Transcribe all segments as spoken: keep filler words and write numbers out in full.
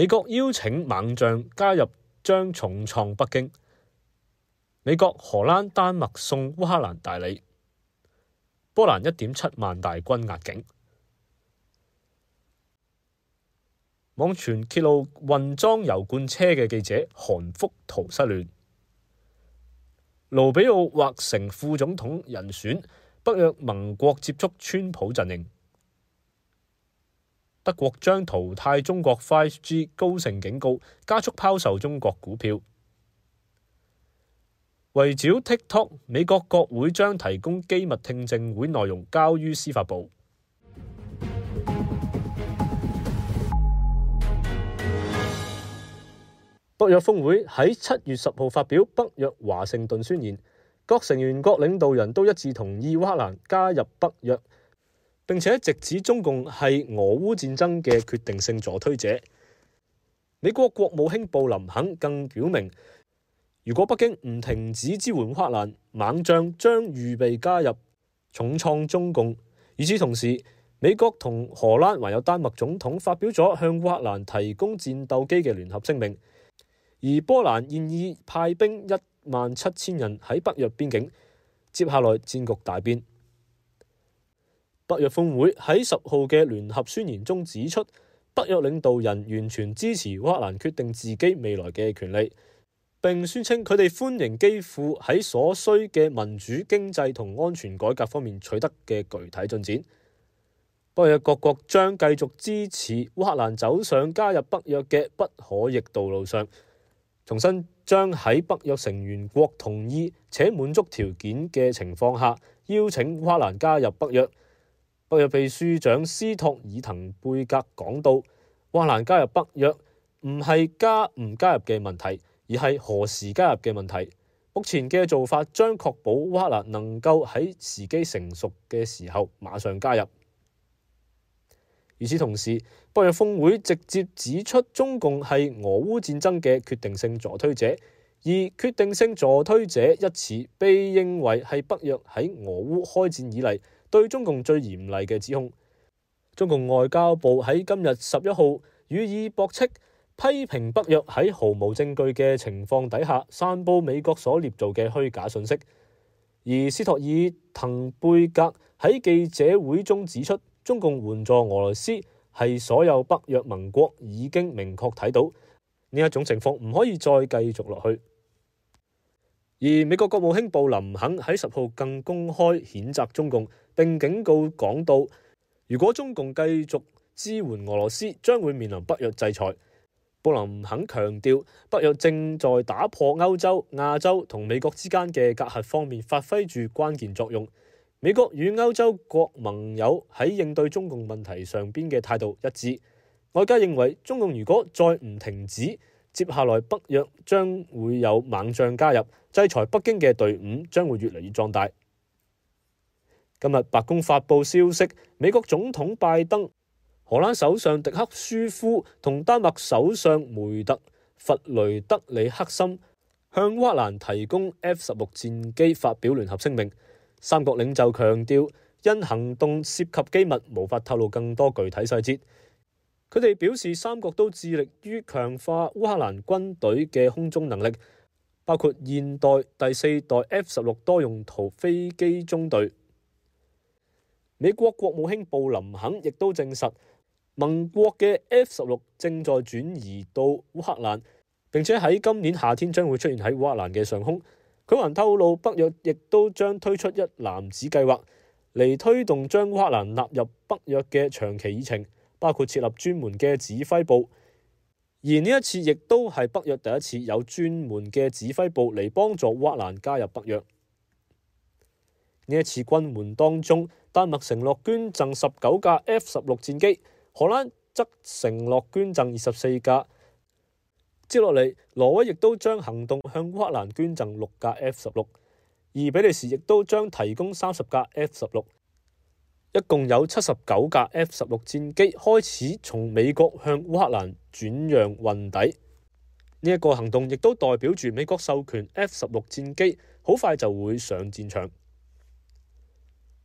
美國邀請猛將加入將重創北京。美國、荷蘭、丹麥送烏克蘭大禮。波蘭一點七萬大軍壓境。網傳揭露運裝油罐車嘅記者韓福圖失聯。盧比奧或成副總統人選，北約盟國接觸川普陣營。德國將淘汰中國 五 G， 高盛警告加速拋售中國股票。圍剿 TikTok， 美國國會將提供機密聽證會內容交於司法部。北約峰會喺七月十號發表北約華盛頓宣言，各成員國領導人都一致同意烏克蘭加入北約，並且直指中共係俄烏戰爭嘅決定性助推者。美國國務卿布林肯更表明，如果北京唔停止支援烏克蘭，猛將將預備加入，重創中共。與此同時，美國同荷蘭還有丹麥總統發表咗向烏克蘭提供戰鬥機嘅聯合聲明。而波蘭現已派兵一萬七千人喺北約邊境，接下來戰局大變。北約峰會喺十號嘅聯合宣言中指出，北約領導人完全支持烏克蘭決定自己未來嘅權利，並宣稱佢哋歡迎基輔喺所需嘅民主、經濟同安全改革方面取得嘅具體進展。北約各國將繼續支持烏克蘭走上加入北約嘅不可逆道路上。重新將喺北約成員國同意且滿足條件嘅情況下，邀請烏克蘭加入北約。北約秘書長斯托爾滕貝格講到，烏克蘭加入北約唔係加唔加入嘅問題，而係何時加入嘅問題。目前嘅做法將確保烏克蘭能夠喺時機成熟嘅時候馬上加入。與此同時，北約峰會直接指出中共係俄烏戰爭嘅決定性助推者，而決定性助推者一詞被認為係北約喺俄烏開戰以嚟對中共最嚴厲嘅指控。中共外交部喺今日十一號予以駁斥，批評北約喺毫無證據嘅情況底下散佈美國所捏造嘅虛假信息。而斯托爾滕貝格喺記者會中指出，中共援助俄羅斯係所有北約盟國已經明確睇到呢一種情況唔可以再繼續落去。而美國國務卿布林肯喺十號更公開譴責中共，並警告講到，如果中共繼續支援俄羅斯，將會面臨北約制裁。布林肯強調，北約正在打破歐洲、亞洲同美國之間嘅隔閡方面發揮住關鍵作用。美國與歐洲國盟友喺應對中共問題上邊嘅態度一致。外界認為，中共如果再唔停止，接下來北約將會有猛將加入，制裁北京嘅隊伍將會越嚟越壯大。今日白宮發布消息，美國總統拜登、荷蘭首相迪克舒夫同丹麥首相梅特弗雷德里克森向烏克蘭提供 F 十六戰機發表聯合聲明。三國領袖強調，因行動涉及機密，無法透露更多具體細節。佢哋表示，三國都致力於強化烏克蘭軍隊嘅空中能力，包括現代第四代 F 十六多用途飛機中隊。美國國務卿布林肯亦都證實，盟國嘅 F 十六正在轉移到烏克蘭，並且喺今年夏天將會出現喺烏克蘭嘅上空。佢還透露，北約亦都將推出一籃子計劃嚟推動將烏克蘭納入北約嘅長期議程，包括設立專門嘅指揮部。而呢一次亦都係北約第一次有專門嘅指揮部嚟幫助烏克蘭加入北約。呢一次軍援當中，丹麥承諾捐贈十九架 F 十六戰機，荷蘭則承諾捐贈二十四架。接落嚟，挪威亦都將行動向烏克蘭捐贈六架 F 十六，而比利時亦都將提供三十架 F 十六，一共有七十九架 F 十六戰機開始從美國向烏克蘭轉讓運抵。呢一個行動亦都代表住美國授權 F 十六戰機好快就會上戰場。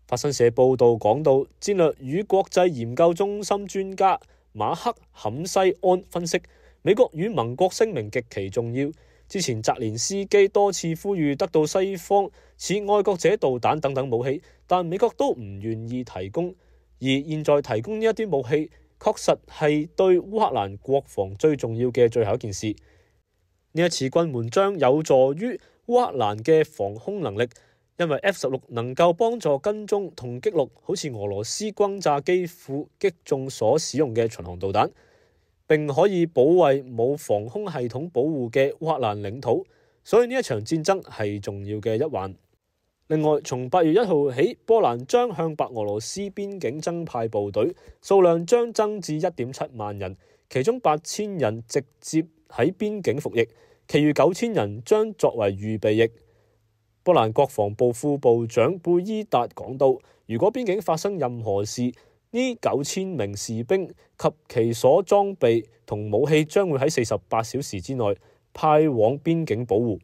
法新社報道講到，戰略與國際研究中心專家馬克坎西安分析，美國與盟國聲明極其重要。之前澤連斯基多次呼籲得到西方似愛國者導彈等等武器，但美國都唔願意提供。而現在提供呢一啲武器，確實係對烏克蘭國防最重要嘅最後一件事。呢一次軍援將有助於烏克蘭嘅防空能力，因為 F 十六能夠幫助跟蹤同擊落好似俄羅斯轟炸機庫擊中所使用嘅巡航導彈，並可以保衛冇防空系統保護嘅烏克蘭領土，所以呢一場戰爭係重要嘅一環。另外，從八月一號起，波蘭將向白俄羅斯邊境增派部隊，數量將增至一點七萬人，其中八千人直接喺邊境服役，其餘九千人將作為預備役。波蘭國防部副部長貝伊達講到，如果邊境發生任何事，呢九千名士兵及其所裝備同武器將會喺四十八小時之內派往邊境保護。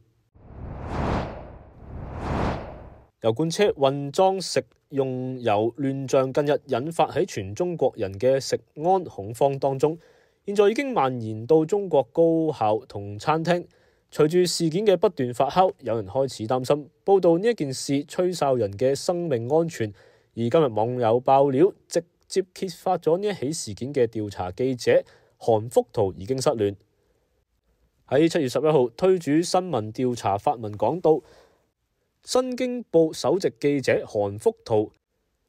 油罐車運裝食用油亂象近日引發喺全中國人嘅食安恐慌當中，現在已經蔓延到中國高校同餐廳。隨住事件嘅不斷發酵，有人開始擔心報道呢一件事吹哨人嘅生命安全。而今日網友爆料，直接揭發咗呢一起事件嘅調查記者韓福圖已經失聯。喺七月十一號，推主新聞調查發文講到，新京報首席記者韓福圖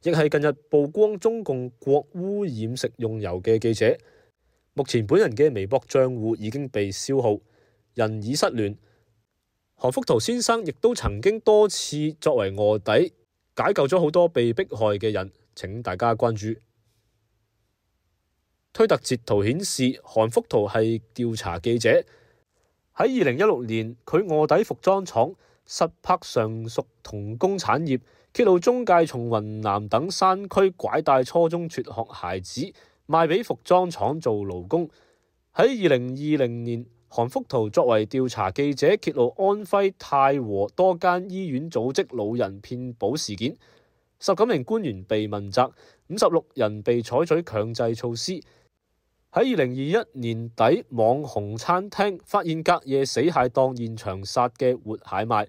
亦係近日曝光中共國污染食用油嘅記者。目前本人嘅微博賬戶已經被消耗，人已失聯。韓福圖先生亦都曾經多次作為臥底解救咗好多被迫害嘅人，請大家關注。推特截圖顯示，韓福圖係調查記者，喺二零一六年佢臥底服裝廠，實拍上述童工產業，揭露中介從雲南等山區拐帶初中輟學孩子賣俾服裝廠做勞工。喺二零二零年，韓福圖作為調查記者，揭露安徽太和多間醫院組織老人騙保事件，十九名官員被問責，五十六人被採取強制措施。喺二零二一年底，網紅餐廳發現隔夜死蟹當現場殺嘅活蟹賣，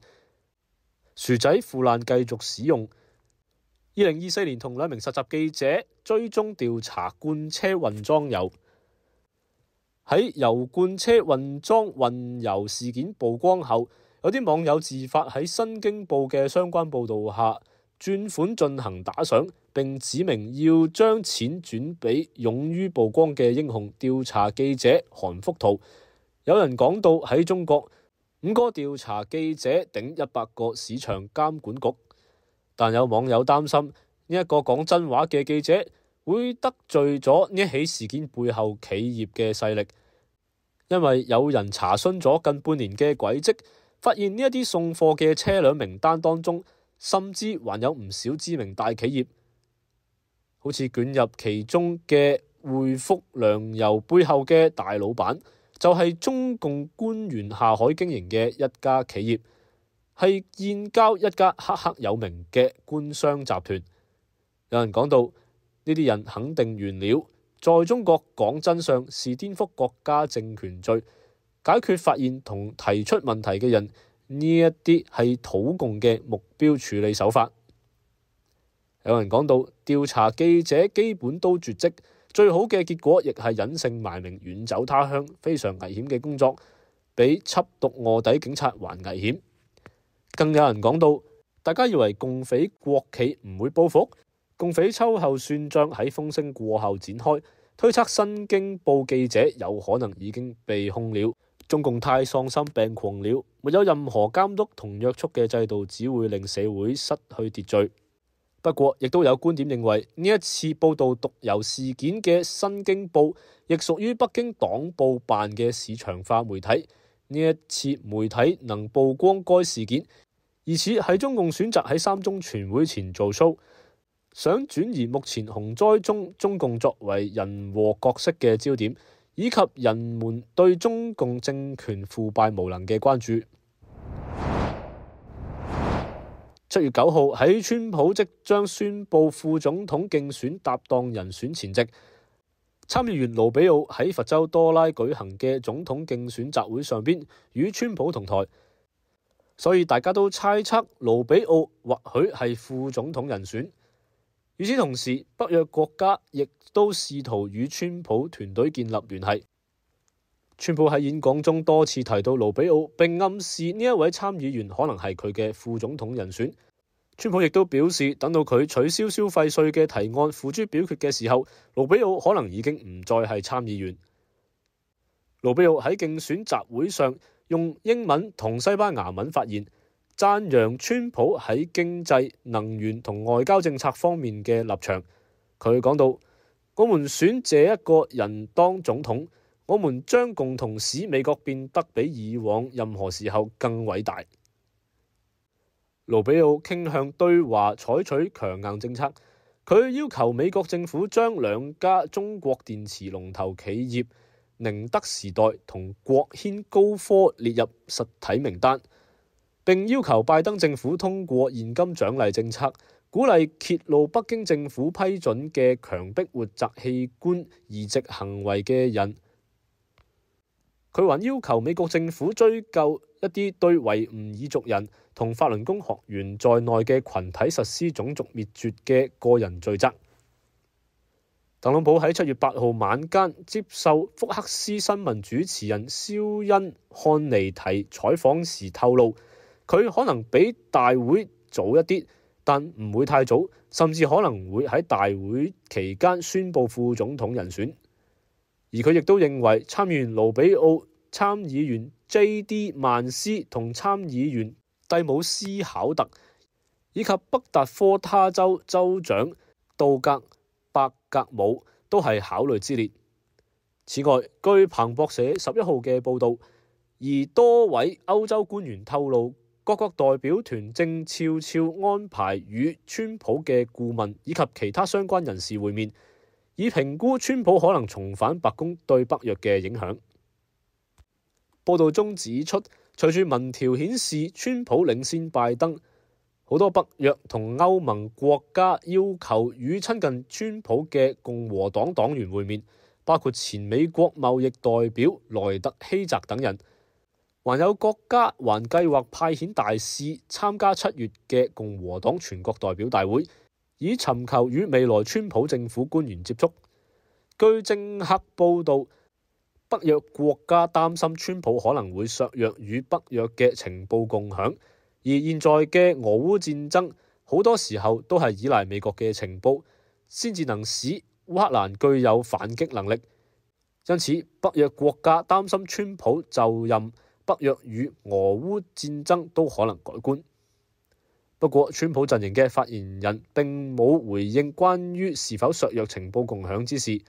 薯仔腐爛繼續使用。二零二四年，同兩名實習記者追蹤調查罐車運裝油。喺油罐車運裝運油事件曝光後，有啲網友自發喺新京報嘅相關報導下轉款進行打賞，並指明要將錢轉俾勇於曝光嘅英雄調查記者韓福圖。有人講到喺中國，五個調查記者頂一百個市場監管局，但有網友擔心呢一個講真話嘅記者會得罪咗呢起事件背後企業嘅勢力，因為有人查詢咗近半年嘅軌跡，發現呢一啲送貨嘅車輛名單當中，甚至還有唔少知名大企業，好似捲入其中嘅匯福糧油背後嘅大老闆，就係中共官員下海經營嘅一家企業，係建交一家赫赫有名嘅官商集團。有人講到呢啲人肯定完了，在中國講真相是顛覆國家政權罪，解決發現同提出問題嘅人，呢一啲係土共嘅目標處理手法。有人講到調查記者基本都絕跡，最好嘅結果亦係隱姓埋名遠走他鄉，非常危險嘅工作，比緝毒臥底警察還危險。更有人講到，大家以為共匪國企唔會報復，共匪秋後算賬喺風聲過後展開，推測新京報記者有可能已經被控了。中共太喪心病狂了，沒有任何監督同約束嘅制度，只會令社會失去秩序。不過，亦都有觀點認為，呢一次報導毒油事件嘅新京報，亦屬於北京黨報辦嘅市場化媒體。呢一次媒體能曝光該事件，疑似係中共選擇喺三中全會前做 show，想轉移目前洪災中中共作為人禍角色嘅焦點，以及人們對中共政權腐敗無能嘅關注。七月九號喺川普即將宣布副總統競選搭檔人選前夕，參議員盧比奧喺佛州多拉舉行嘅總統競選集會上邊與川普同台，所以大家都猜測盧比奧或許係副總統人選。與此同時，北約國家亦都試圖與川普團隊建立聯繫。川普喺演講中多次提到盧比奧，並暗示呢一位參議員可能係佢嘅副總統人選。川普亦都表示，等到佢取消消費稅嘅提案付諸表決嘅時候，盧比奧可能已經唔再係參議員。盧比奧喺競選集會上用英文同西班牙文發言，讚揚川普喺經濟、能源同外交政策方面嘅立場。佢講到：我們選這一個人當總統，我們將共同使美國變得比以往任何時候更偉大。盧比奧傾向對華採取強硬政策，佢要求美國政府將兩家中國電池龍頭企業寧德時代同國軒高科列入實體名單，並要求拜登政府通過現金獎勵政策，鼓勵揭露北京政府批准嘅強迫活摘器官移植行為嘅人。佢還要求美國政府追究一啲對維吾爾族人同法輪功學員在內嘅群體實施種族滅絕嘅個人罪責。特朗普喺七月八號晚間接受福克斯新聞主持人肖恩漢尼提採訪時透露，佢可能比大會早一啲，但唔會太早，甚至可能會喺大會期間宣布副總統人選。而佢亦都認為參議員盧比奧、參議員 J D 曼斯同參議員蒂姆斯考特以及北達科他州州長杜格伯格姆都係考慮之列。此外，據彭博社十一號嘅報導，而多位歐洲官員透露，各國代表團正悄悄安排與川普嘅顧問以及其他相關人士會面，以評估川普可能重返白宮對北約嘅影響。報道中指出，隨住民調顯示川普領先拜登，好多北約同歐盟國家要求與親近川普嘅共和黨黨員會面，包括前美國貿易代表萊特希澤等人。還有國家還計劃派遣大使參加七月嘅共和黨全國代表大會，以尋求與未來川普政府官員接觸。據政客報導，北約國家擔心川普可能會削弱與北約嘅情報共享，而現在嘅俄烏戰爭好多時候都係依賴美國嘅情報，先至能使烏克蘭具有反擊能力。因此，北約國家擔心川普就任，北約與俄烏戰爭都可能改觀。不過，川普陣營嘅發言人並冇回應關於是否削弱情報共享之事，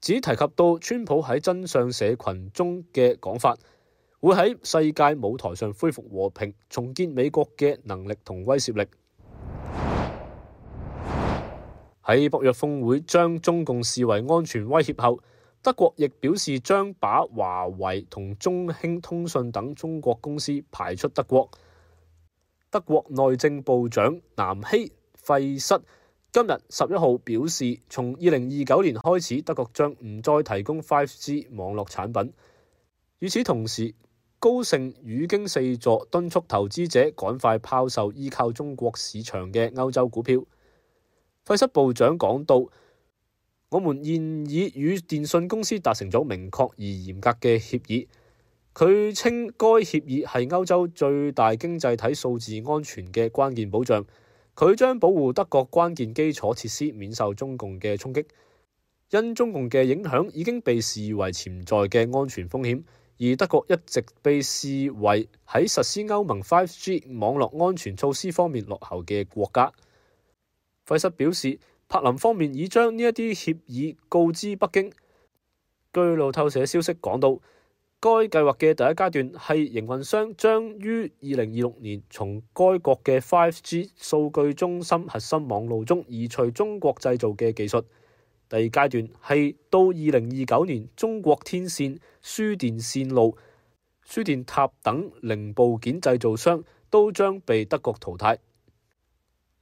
只提及到川普喺真相社群中嘅講法，會喺世界舞台上恢復和平，重建美國嘅能力同威懾力。喺北約峰會將中共視為安全威脅後，德國亦表示將把華為同中興通訊等中國公司排出德國。德國內政部長南希費瑟今日十一號表示，從二零二九年開始，德國將唔再提供 五 G 網絡產品。與此同時，高盛語驚四座，敦促投資者趕快拋售依靠中國市場嘅歐洲股票。費瑟部長講到，我們現已與電信公司達成咗明確而嚴格嘅協議。佢稱該協議係歐洲最大經濟體數字安全嘅關鍵保障。佢將保護德國關鍵基礎設施免受中共嘅衝擊。因中共嘅影響已經被視為潛在嘅安全風險，而德國一直被視為喺實施歐盟 五 G 網絡安全措施方面落後嘅國家。費瑟表示，柏林方面已將呢一啲協議告知北京。據路透社消息講到，該計劃嘅第一階段係營運商將於二零二六年從該國嘅 五 G 數據中心核心網路中移除中國製造嘅技術。第二階段係到二零二九年，中國天線、輸電線路、輸電塔等零部件製造商都將被德國淘汰。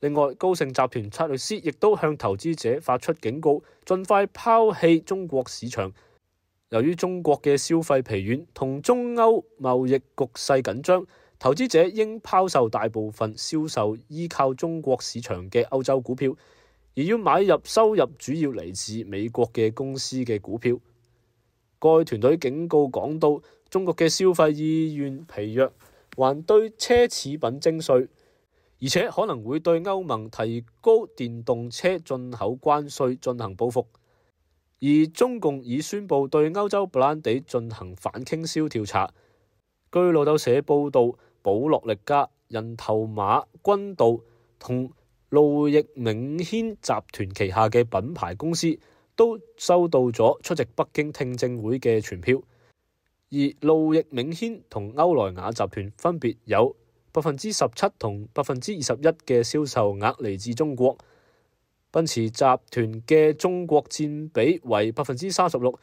另外，高盛集團策略師亦都向投資者發出警告，盡快拋棄中國市場。由於中國嘅消費疲軟同中歐貿易局勢緊張，投資者應拋售大部分銷售依靠中國市場嘅歐洲股票，而要買入收入主要嚟自美國嘅公司嘅股票。該團隊警告講到，中國嘅消費意願疲弱，還對奢侈品徵稅，而且可能會對歐盟提高電動車進口關稅進行報復。而中共已宣布對歐洲布蘭地進行反傾銷調查。據路透社報導，保洛力加、人頭馬、君度同路易明軒集團旗下嘅品牌公司都收到咗出席北京聽證會嘅傳票，而路易明軒同歐萊雅集團分別有百分之十七同百分之二十一嘅銷售額嚟自中國。奔馳集團嘅中國佔比為百分之三十六，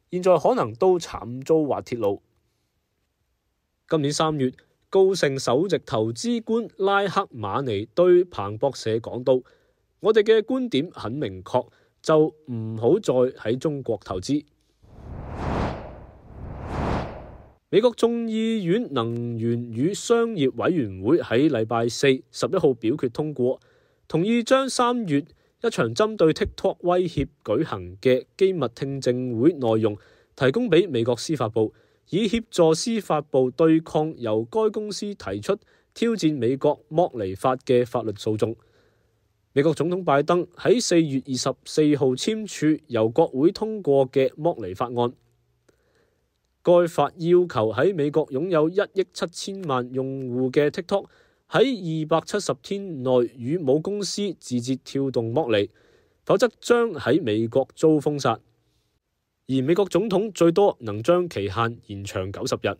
現在可能都慘遭滑鐵盧。今年三月，高盛首席投資官拉克馬尼對彭博社講到：我哋嘅觀點很明確，就唔好再喺中國投資。美國眾議院能源與商業委員會喺禮拜四十一號表決通過，同意將三月一場針對 TikTok 威脅舉行嘅機密聽證會內容提供俾美國司法部，以協助司法部對抗由該公司提出挑戰美國剝離法嘅法律訴訟。美國總統拜登喺四月二十四號簽署由國會通過嘅剝離法案。該法要求喺美國擁有一億七千萬用戶嘅 TikTok 喺二百七十天內與母公司字節跳動剝離，否則將喺美國遭封殺。而美國總統最多能將期限延長九十日。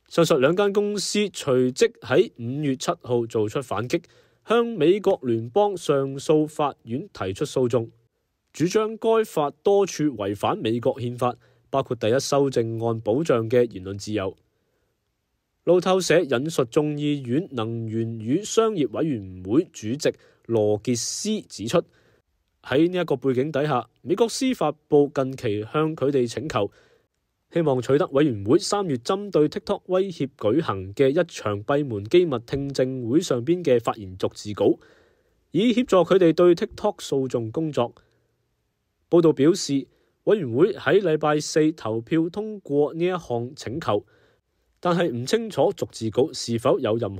上述兩間公司隨即喺五月七號做出反擊，向美國聯邦上訴法院提出訴訟，主張該法多處違反美國憲法，包括第一修正案保障嘅言論自由。路透社引述眾議院能源與商業委員會主席羅傑斯指出，喺呢一個背景底下，美國司法部近期向佢哋請求，希望取得委員會三月針對 TikTok 威脅舉行嘅一場閉門機密聽證會上邊嘅發言逐字稿，以協助佢哋對 TikTok 訴訟工作。報道表示，委員會喺禮拜四投票通過呢一項請求，但係唔清楚逐字稿是否有任